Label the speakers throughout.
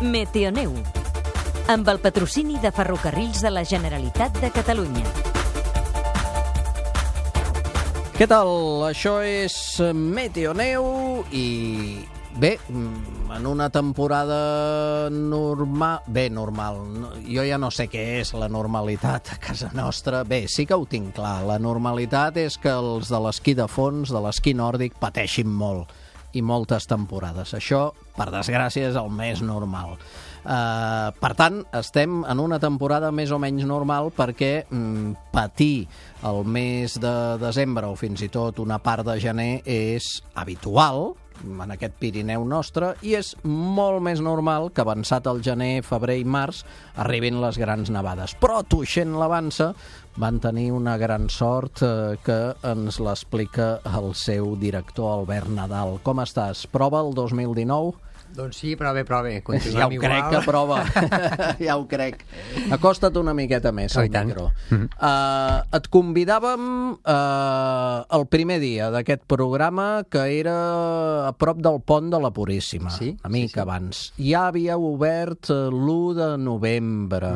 Speaker 1: Meteoneu, amb el patrocini de Ferrocarrils de la Generalitat de Catalunya.
Speaker 2: Què tal? Això és Meteoneu i bé, en una temporada normal... Bé, normal. Jo ja no sé què és la normalitat a casa nostra. Bé, sí que ho tinc clar. La normalitat és que els de l'esquí de fons, de l'esquí nòrdic, pateixin molt. I moltes temporades. Això, per desgràcia, és el més normal. Per tant, estem en una temporada més o menys normal perquè patir el mes de desembre o fins i tot una part de gener és habitual en aquest Pirineu nostre i és molt més normal que avançat el gener, febrer i març arribin les grans nevades. Però Tuixén l'Avança van tenir una gran sort que ens l'explica el seu director Albert Nadal. Com estàs? Prova el 2019?
Speaker 3: Doncs sí, però bé, continuem
Speaker 2: ja ho
Speaker 3: igual.
Speaker 2: crec que prova, ja ho crec. Acosta't una miqueta més al micro. Et convidàvem el primer dia d'aquest programa que era a prop del pont de la Puríssima, una mica abans. Ja havíeu obert l'1 de novembre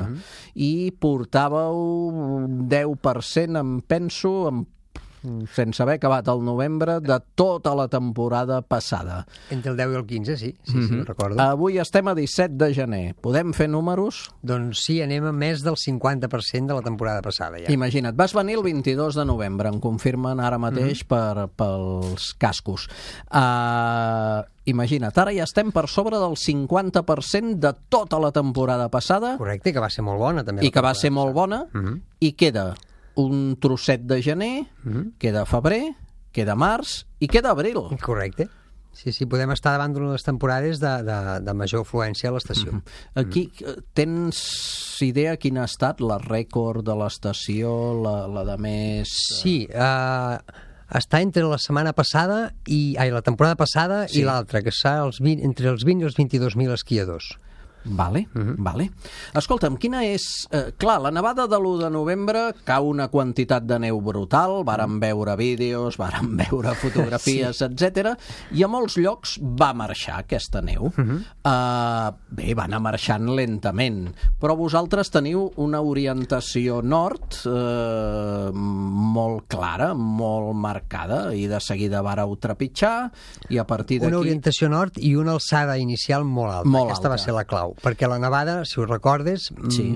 Speaker 2: i portàveu un 10%, em penso, sense haver acabat el novembre, de tota la temporada passada.
Speaker 3: Entre el 10 i el 15, sí, recordo.
Speaker 2: Avui estem a 17 de gener. Podem fer números?
Speaker 3: Doncs sí, anem a més del 50% de la temporada passada, ja.
Speaker 2: Imagina't, vas venir el 22 de novembre, em confirmen ara mateix pels cascos. Imagina't, ara ja estem per sobre del 50% de tota la temporada passada.
Speaker 3: Correcte, que va ser molt bona, també.
Speaker 2: I que va ser molt bona, i queda un trosset de gener, queda febrer, queda març i queda abril.
Speaker 3: Correcte. Sí, podem estar davant d'una de les temporades de major afluència a l'estació.
Speaker 2: Aquí tens idea quina ha estat la rècord de l'estació, la de més...
Speaker 3: Sí, està entre la setmana passada la temporada passada i l'altra, que està entre els 20 i els 22.000 esquiadors.
Speaker 2: Vale. Escolta'm, quina és... Clar, la nevada de l'1 de novembre cau una quantitat de neu brutal, vàrem veure vídeos, vàrem veure fotografies, etc. I a molts llocs va marxar aquesta neu. Bé, va anar marxant lentament, però vosaltres teniu una orientació nord molt clara, molt marcada, i de seguida vareu trepitjar, i a partir d'aquí...
Speaker 3: Una orientació nord i una alçada inicial molt alta. Aquesta va ser la clau. Perquè la nevada, si ho recordes,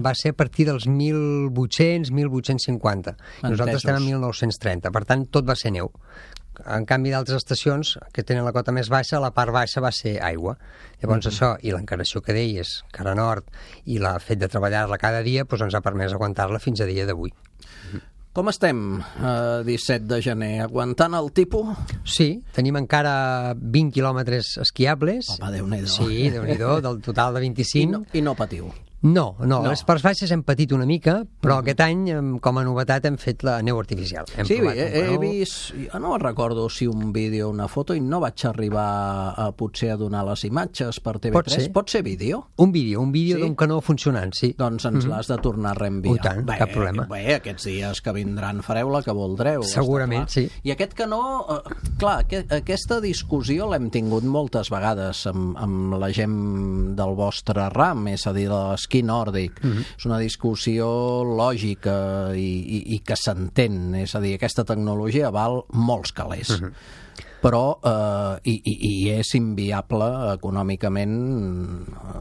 Speaker 3: va ser a partir dels 1800, 1850. Nosaltres estem en 1930, per tant, tot va ser neu. En canvi, d'altres estacions que tenen la cota més baixa, la part baixa va ser aigua. Llavors això, i l'encarnació que deies, cara nord, i el fet de treballar-la cada dia, doncs ens ha permès aguantar-la fins a dia d'avui.
Speaker 2: Com estem, 17 de gener? Aguantant el tipus?
Speaker 3: Sí, tenim encara 20 quilòmetres esquiables.
Speaker 2: Home, Déu-n'hi-do.
Speaker 3: Sí, Déu-n'hi-do, del total de 25.
Speaker 2: I no patiu?
Speaker 3: No, les parts baixes hem patit una mica, però aquest any, com a novetat, hem fet la neu artificial.
Speaker 2: Sí, he vist... Jo no recordo si un vídeo o una foto, i no vaig arribar potser a donar les imatges per TV3. Pot ser vídeo?
Speaker 3: Un vídeo d'un canó funcionant, sí.
Speaker 2: Doncs ens l'has de tornar a reenviar.
Speaker 3: Tant, cap problema.
Speaker 2: Bé, aquests dies que vindran fareu la que voldreu.
Speaker 3: Segurament, sí.
Speaker 2: I aquest canó, clar, aquesta discussió l'hem tingut moltes vegades amb la gent del vostre ram, és a dir, de l'esquí nòrdic. És una discussió lògica i que s'entén. És a dir, aquesta tecnologia val molts calés. Però i és inviable econòmicament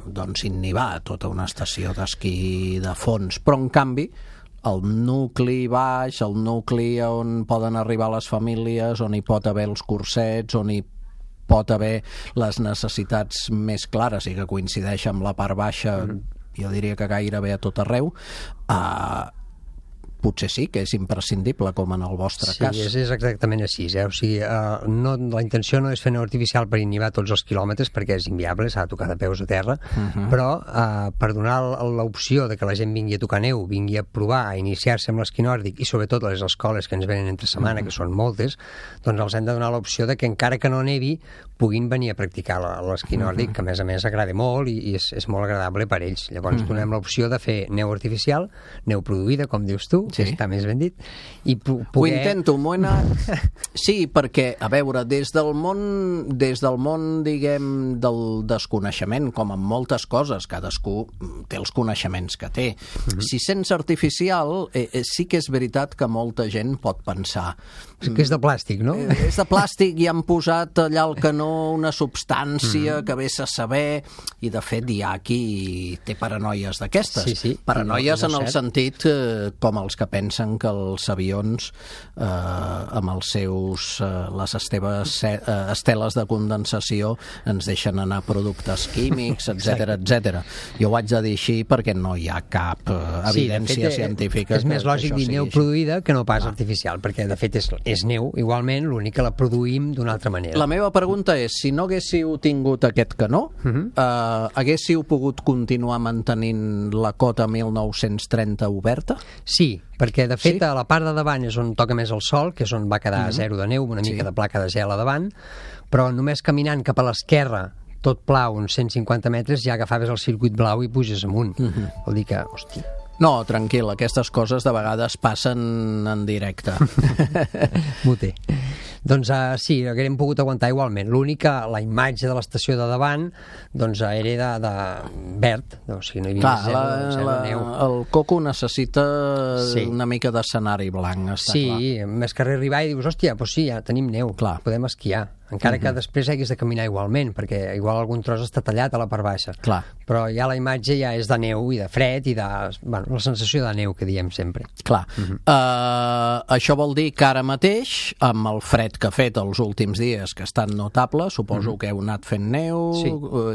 Speaker 2: doncs innivar tota una estació d'esquí de fons. Però, en canvi, el nucli baix, el nucli on poden arribar les famílies, on hi pot haver els cursets, on hi pot haver les necessitats més clares i que coincideix amb la part baixa, jo diria que gairebé a tot arreu, potser sí que és imprescindible, com en el vostre cas.
Speaker 3: Sí, és exactament així. O sigui, la intenció no és fer neu artificial per inhibar tots els quilòmetres, perquè és inviable, s'ha de tocar de peus a terra, però per donar l'opció de que la gent vingui a tocar neu, vingui a provar, a iniciar-se amb l'esquí nòrdic, i sobretot a les escoles que ens venen entre setmana, que són moltes, doncs els hem de donar l'opció de que encara que no nevi, puguin venir a practicar l'esquí nòrdic, que a més agrada molt i és molt agradable per ells. Llavors donem l'opció de fer neu artificial, neu produïda, com dius tu, que està més ben dit, i poder...
Speaker 2: Ho intento, m'ho he anat... Sí, perquè, a veure, des del món, diguem, del desconeixement, com en moltes coses, cadascú té els coneixements que té. Si sents artificial, sí que és veritat que molta gent pot pensar...
Speaker 3: Que és de plàstic, no?
Speaker 2: És de plàstic i han posat allà al canó una substància que vés a saber, i de fet hi ha qui té paranoies d'aquestes.
Speaker 3: Sí.
Speaker 2: Paranoies en el sentit com els que pensen que els avions amb els seus les esteles de condensació ens deixen anar productes químics, etc. Jo ho haig de dir així perquè no hi ha cap evidència científica.
Speaker 3: És més lògic dir neu produïda que no pas artificial, perquè de fet és neu, igualment, l'únic que la produïm d'una altra manera.
Speaker 2: La meva pregunta és, si no haguéssiu tingut aquest canó, haguéssiu pogut continuar mantenint la cota 1930 oberta?
Speaker 3: Sí, perquè de fet a la part de davant és on toca més el sol, que és on va quedar zero de neu, una mica de placa de gel a davant, però només caminant cap a l'esquerra, tot pla, uns 150 metres, ja agafaves el circuit blau i puges amunt. Vol dir que, hòstia...
Speaker 2: No, tranquil, aquestes coses de vegades passen en directe.
Speaker 3: M'ho té. Doncs sí, haguem pogut aguantar igualment. L'únic que la imatge de l'estació de davant doncs era de verd, o sigui, no hi havia zero neu.
Speaker 2: El coco necessita una mica d'escenari blanc, està clar.
Speaker 3: Sí, més que arribar i dius, hòstia, doncs sí, ja tenim neu, podem esquiar. Encara que després hagués de caminar igualment, perquè igual algun tros està tallat a la part baixa.
Speaker 2: Clar.
Speaker 3: Però ja la imatge ja és de neu i de fred i de... Bueno, la sensació de neu que diem sempre.
Speaker 2: Clar. Això vol dir que ara mateix, amb el fred que ha fet els últims dies, que ha estat notable, suposo que heu anat fent neu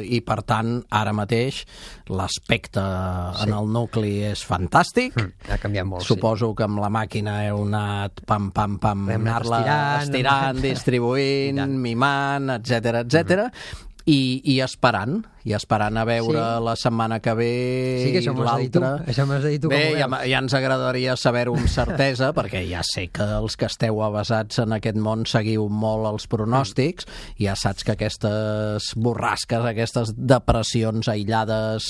Speaker 2: i, per tant, ara mateix l'aspecte en el nucli és fantàstic.
Speaker 3: Ha canviat molt,
Speaker 2: suposo que amb la màquina heu anat anar-la estirant, distribuint, mimant, etc. I esperant a veure la setmana que ve l'altra.
Speaker 3: Això m'has de dir tu.
Speaker 2: Bé, ja ens agradaria saber-ho amb certesa, perquè ja sé que els que esteu avesats en aquest món seguiu molt els pronòstics, i ja saps que aquestes borrasques, aquestes depressions aïllades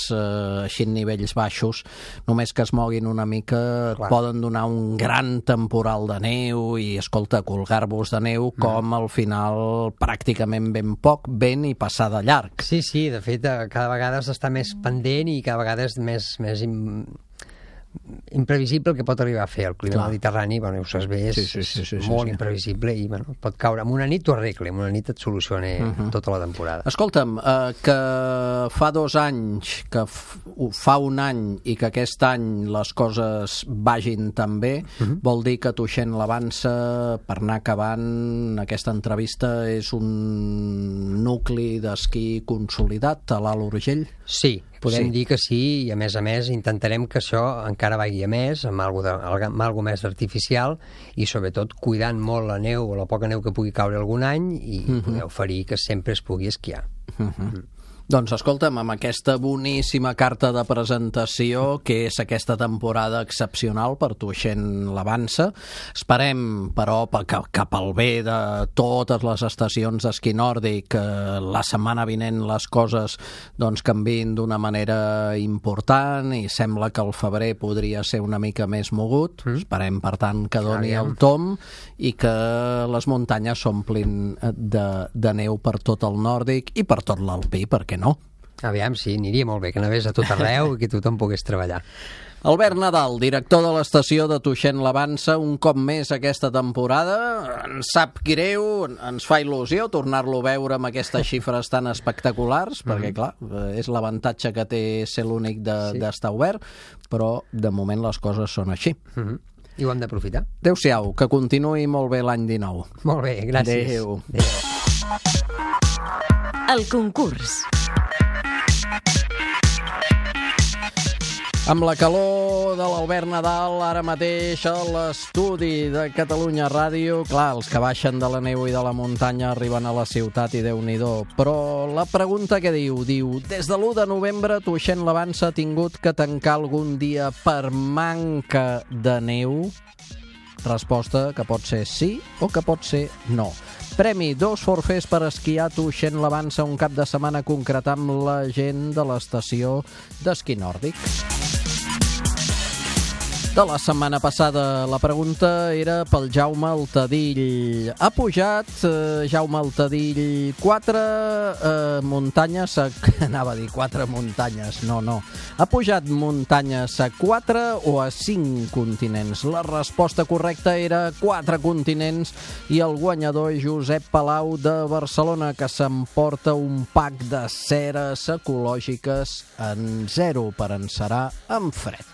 Speaker 2: així en nivells baixos, només que es moguin una mica poden donar un gran temporal de neu i, escolta, colgar-vos de neu com al final pràcticament ben poc vent i passar de llarg.
Speaker 3: Sí, de fet cada vegada has d'estar més pendent i cada vegada és més imprevisible el que pot arribar a fer el clima mediterrani. Bueno, ho saps bé, és molt imprevisible i pot caure. En una nit t'ho arregla, en una nit et soluciona tota la temporada.
Speaker 2: Escolta'm, que fa 2 anys, que fa un any i que aquest any les coses vagin tan bé, vol dir que Tuixén l'Avança, per anar acabant aquesta entrevista, és un nucli d'esquí consolidat a l'Alt Urgell?
Speaker 3: Sí, podem dir que sí, i a més intentarem que això encara vagi a més, amb algo més artificial, i sobretot cuidant molt la neu o la poca neu que pugui caure algun any i poder oferir que sempre es pugui esquiar.
Speaker 2: Doncs escolta'm, amb aquesta boníssima carta de presentació, que és aquesta temporada excepcional per Tuixén l'Avança, esperem, però, que pel bé de totes les estacions d'esquí nòrdic, la setmana vinent les coses canviïn d'una manera important, i sembla que el febrer podria ser una mica més mogut. Esperem, per tant, que doni el tom i que les muntanyes s'omplin de neu per tot el nòrdic i per tot l'alpí, perquè no?
Speaker 3: Aviam, sí, aniria molt bé, que anés a tot arreu i que tothom pogués treballar.
Speaker 2: Albert Nadal, director de l'estació de Tuixén l'Avança, un cop més aquesta temporada. Ens sap greu, ens fa il·lusió tornar-lo a veure amb aquestes xifres tan espectaculars, perquè, clar, és l'avantatge que té ser l'únic d'estar obert, però de moment les coses són així.
Speaker 3: I ho hem d'aprofitar.
Speaker 2: Adéu-siau, que continuï molt bé l'any 19.
Speaker 3: Molt bé, gràcies.
Speaker 2: Adéu.
Speaker 1: El concurs.
Speaker 2: Amb la calor de l'Albert Nadal, ara mateix a l'estudi de Catalunya Ràdio, clar, els que baixen de la neu i de la muntanya arriben a la ciutat i Déu-n'hi-do. Però la pregunta que diu, des de l'1 de novembre Tuixén l'Avança ha tingut que tancar algun dia per manca de neu? Resposta que pot ser sí o que pot ser no. Premi, 2 forfers per esquiar a Tuixén l'Avança un cap de setmana a concretar amb la gent de l'estació d'esquí nòrdic. De la setmana passada la pregunta era pel Jaume Altadill. Ha pujat Jaume Altadill 4 muntanyes, anava a dir 4 muntanyes, no. Ha pujat muntanyes a 4 o a 5 continents? La resposta correcta era 4 continents i el guanyador Josep Palau de Barcelona, que s'emporta un pack de ceres ecològiques en 0 per encerar amb fred.